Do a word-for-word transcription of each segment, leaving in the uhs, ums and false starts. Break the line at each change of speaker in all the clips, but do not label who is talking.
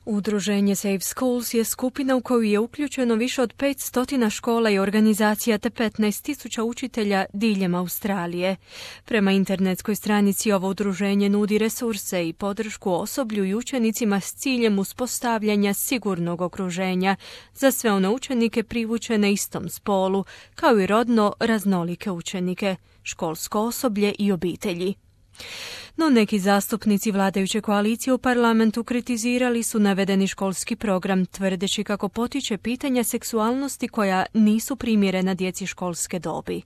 Udruženje Safe Schools je skupina u koju je uključeno više od petsto škola i organizacija te petnaest tisuća učitelja diljem Australije. Prema internetskoj stranici ovo udruženje nudi resurse i podršku osoblju i učenicima s ciljem uspostavljanja sigurnog okruženja za sve one učenike privučene istom spolu, kao i rodno raznolike učenike, školsko osoblje i obitelji. No neki zastupnici vladajuće koalicije u parlamentu kritizirali su navedeni školski program, tvrdeći kako potiče pitanja seksualnosti koja nisu primjerena djeci školske dobi.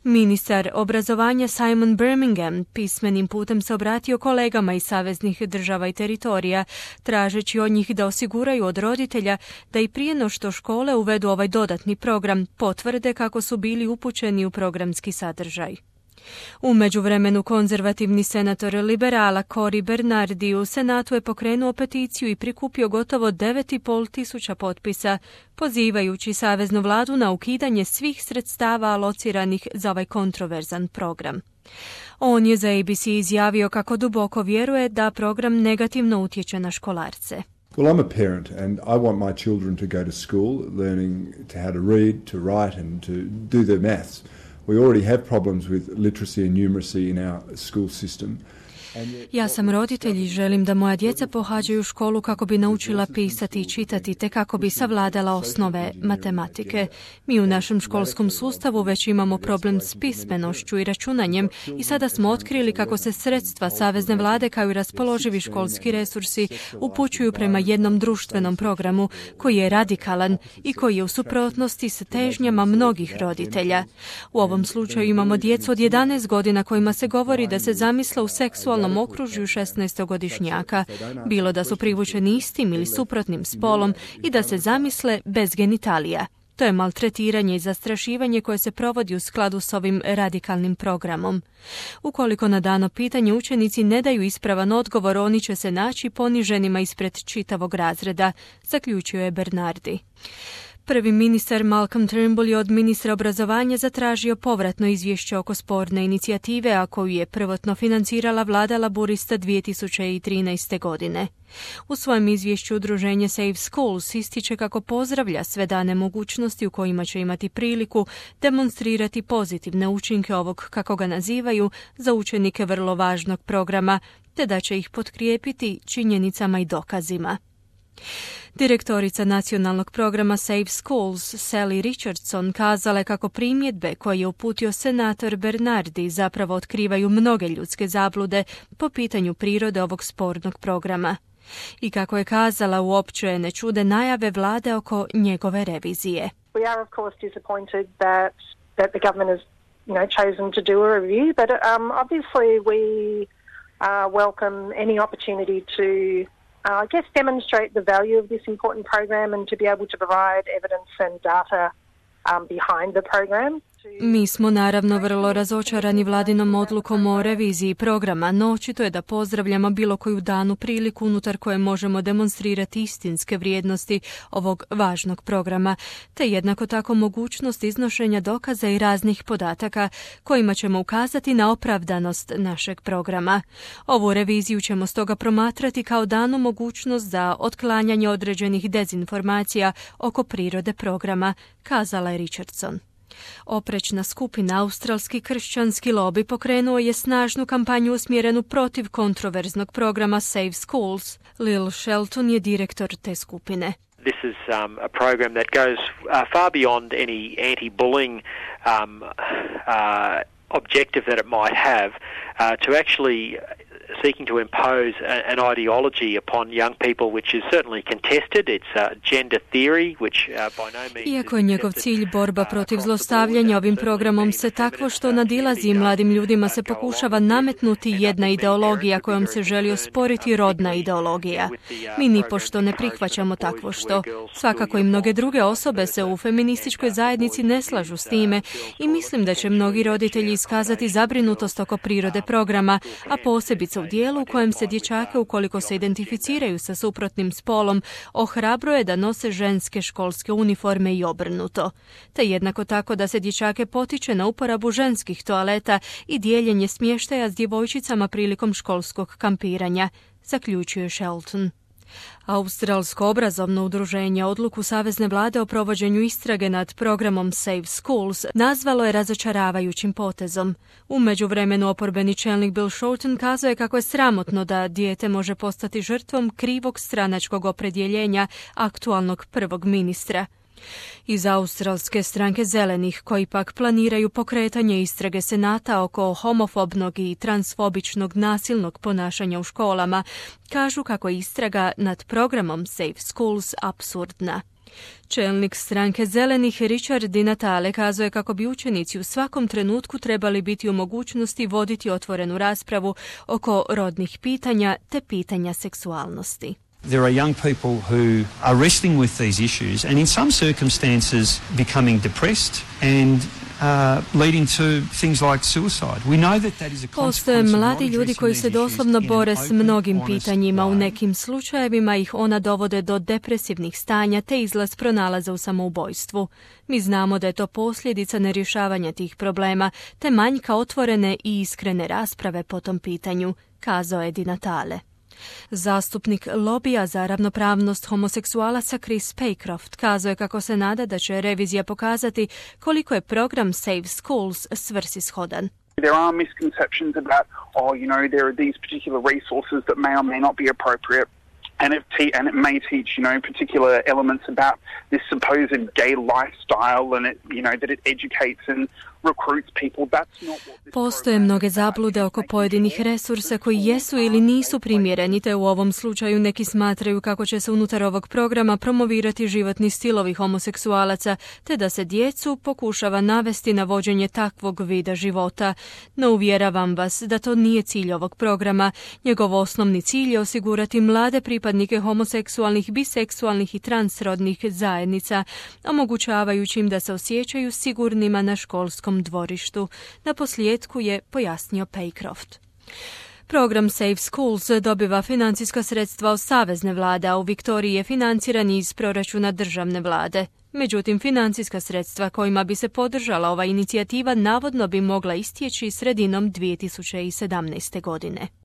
Ministar obrazovanja Simon Birmingham pismenim putem se obratio kolegama iz saveznih država i teritorija, tražeći od njih da osiguraju od roditelja da i prije no što škole uvedu ovaj dodatni program, potvrde kako su bili upućeni u programski sadržaj. U međuvremenu konzervativni senator liberala Cory Bernardi u Senatu je pokrenuo peticiju i prikupio gotovo devet i pol tisuća potpisa, pozivajući saveznu vladu na ukidanje svih sredstava alociranih za ovaj kontroverzan program. On je za A B C izjavio kako duboko vjeruje da program negativno utječe na školarce.
Well, I'm a parent and I want my children to go to school learning to how to read, to write and to do their maths. We already have problems with literacy and numeracy in our school system.
Ja sam roditelj i želim da moja djeca pohađaju školu kako bi naučila pisati i čitati te kako bi savladala osnove matematike. Mi u našem školskom sustavu već imamo problem s pismenošću i računanjem i sada smo otkrili kako se sredstva savezne vlade kao i raspoloživi školski resursi upućuju prema jednom društvenom programu koji je radikalan i koji je u suprotnosti s težnjama mnogih roditelja. U ovom slučaju imamo djecu od jedanaest godina kojima se govori da se zamisle u seksualnom okružju šesnaestogodišnjaka, bilo da su privučeni istim ili suprotnim spolom i da se zamisle bez genitalija. To je maltretiranje i zastrašivanje koje se provodi u skladu s ovim radikalnim programom. Ukoliko na dano pitanje učenici ne daju ispravan odgovor, oni će se naći poniženima ispred čitavog razreda, zaključio je Bernardi. Prvi ministar Malcolm Turnbull je od ministra obrazovanja zatražio povratno izvješće oko sporne inicijative, a koju je prvotno financirala vlada laburista dvije tisuće trinaeste. godine. U svojem izvješću udruženje Safe Schools ističe kako pozdravlja sve dane mogućnosti u kojima će imati priliku demonstrirati pozitivne učinke ovog, kako ga nazivaju, za učenike vrlo važnog programa, te da će ih potkrijepiti činjenicama i dokazima. Direktorica nacionalnog programa Safe Schools, Sally Richardson, kazala je kako primjedbe koje je uputio senator Bernardi zapravo otkrivaju mnoge ljudske zablude po pitanju prirode ovog spornog programa. I kako je kazala, uopće je ne čude najave vlade oko njegove revizije.
We are of course disappointed that that the government has, you know, chosen to do a review, but um, obviously we uh, welcome any opportunity to Uh, I guess demonstrate the value of this important program and to be able to provide evidence and data um, behind the program.
Mi smo naravno vrlo razočarani vladinom odlukom o reviziji programa, no očito je da pozdravljamo bilo koju danu priliku unutar koje možemo demonstrirati istinske vrijednosti ovog važnog programa, te jednako tako mogućnost iznošenja dokaza i raznih podataka kojima ćemo ukazati na opravdanost našeg programa. Ovu reviziju ćemo stoga promatrati kao danu mogućnost za otklanjanje određenih dezinformacija oko prirode programa, kazala je Richardson. Oprečna skupina Australski kršćanski lobby pokrenuo je snažnu kampanju usmjerenu protiv kontroverznog programa Safe Schools. Lil Shelton je direktor te skupine.
This is um, a program that goes uh, far beyond any anti-bullying um, uh, objective that it might have uh, to actually seeking to impose an ideology upon young people which is certainly contested. It's uh, gender theory which uh, by no means.
Iako je njegov cilj borba protiv zlostavljanja, ovim programom se takvo što nadilazi i mladim ljudima se pokušava nametnuti jedna ideologija kojom se želi osporiti rodna ideologija. Mi nipošto ne prihvaćamo takvo što. Svakako i mnoge druge osobe se u feminističkoj zajednici ne slažu s time i mislim da će mnogi roditelji iskazati zabrinutost oko prirode programa, a posebice u dijelu u kojem se dječake, ukoliko se identificiraju sa suprotnim spolom, ohrabruje da nose ženske školske uniforme i obrnuto. Te jednako tako da se dječake potiče na uporabu ženskih toaleta i dijeljenje smještaja s djevojčicama prilikom školskog kampiranja, zaključuje Shelton. Australsko obrazovno udruženje odluku Savezne vlade o provođenju istrage nad programom Safe Schools nazvalo je razočaravajućim potezom. U međuvremenu oporbeni čelnik Bill Shorten kazao je kako je sramotno da dijete može postati žrtvom krivog stranačkog opredjeljenja aktualnog prvog ministra. Iz australske stranke Zelenih, koji pak planiraju pokretanje istrage Senata oko homofobnog i transfobičnog nasilnog ponašanja u školama, kažu kako je istraga nad programom Safe Schools apsurdna. Čelnik stranke Zelenih Richard Di Natale kazao je kako bi učenici u svakom trenutku trebali biti u mogućnosti voditi otvorenu raspravu oko rodnih pitanja te pitanja seksualnosti.
There are young people who are wrestling with these issues and in some circumstances becoming depressed and uh, leading to things like suicide. We know that that is a
Postoje mladi ljudi koji se doslovno bore s mnogim pitanjima. U nekim slučajevima ih ona dovode do depresivnih stanja te izlaz pronalaza u samoubojstvu. Mi znamo da je to posljedica nerješavanja tih problema te manjka otvorene i iskrene rasprave po tom pitanju, kazao je Di Natale. Zastupnik lobija za ravnopravnost homoseksualaca Chris Paycroft kazao je kako se nada da će revizija pokazati koliko je program Safe Schools svrsishodan.
There are misconceptions about, oh, you know, there are these particular resources that may or may not be appropriate. And it, te- and it may teach, you know, particular elements about this supposed gay lifestyle and it, you know, that it educates and recruits people. That's not what this
Postoje mnoge zablude oko pojedinih resursa koji jesu ili nisu primjereni, te u ovom slučaju neki smatraju kako će se unutar ovog programa promovirati životni stilovi homoseksualaca, te da se djecu pokušava navesti na vođenje takvog vida života. No uvjeravam vas da to nije cilj ovog programa. Njegov osnovni cilj je osigurati mlade pripadnike homoseksualnih, biseksualnih i transrodnih zajednica, omogućavajući im da se osjećaju sigurnima na školskom dvorištu. Na posljedku je pojasnio Paycroft. Program Safe Schools dobiva financijska sredstva od savezne vlade, a u Viktoriji je financiran iz proračuna državne vlade. Međutim, financijska sredstva kojima bi se podržala ova inicijativa navodno bi mogla istječi sredinom dvije tisuće sedamnaeste godine.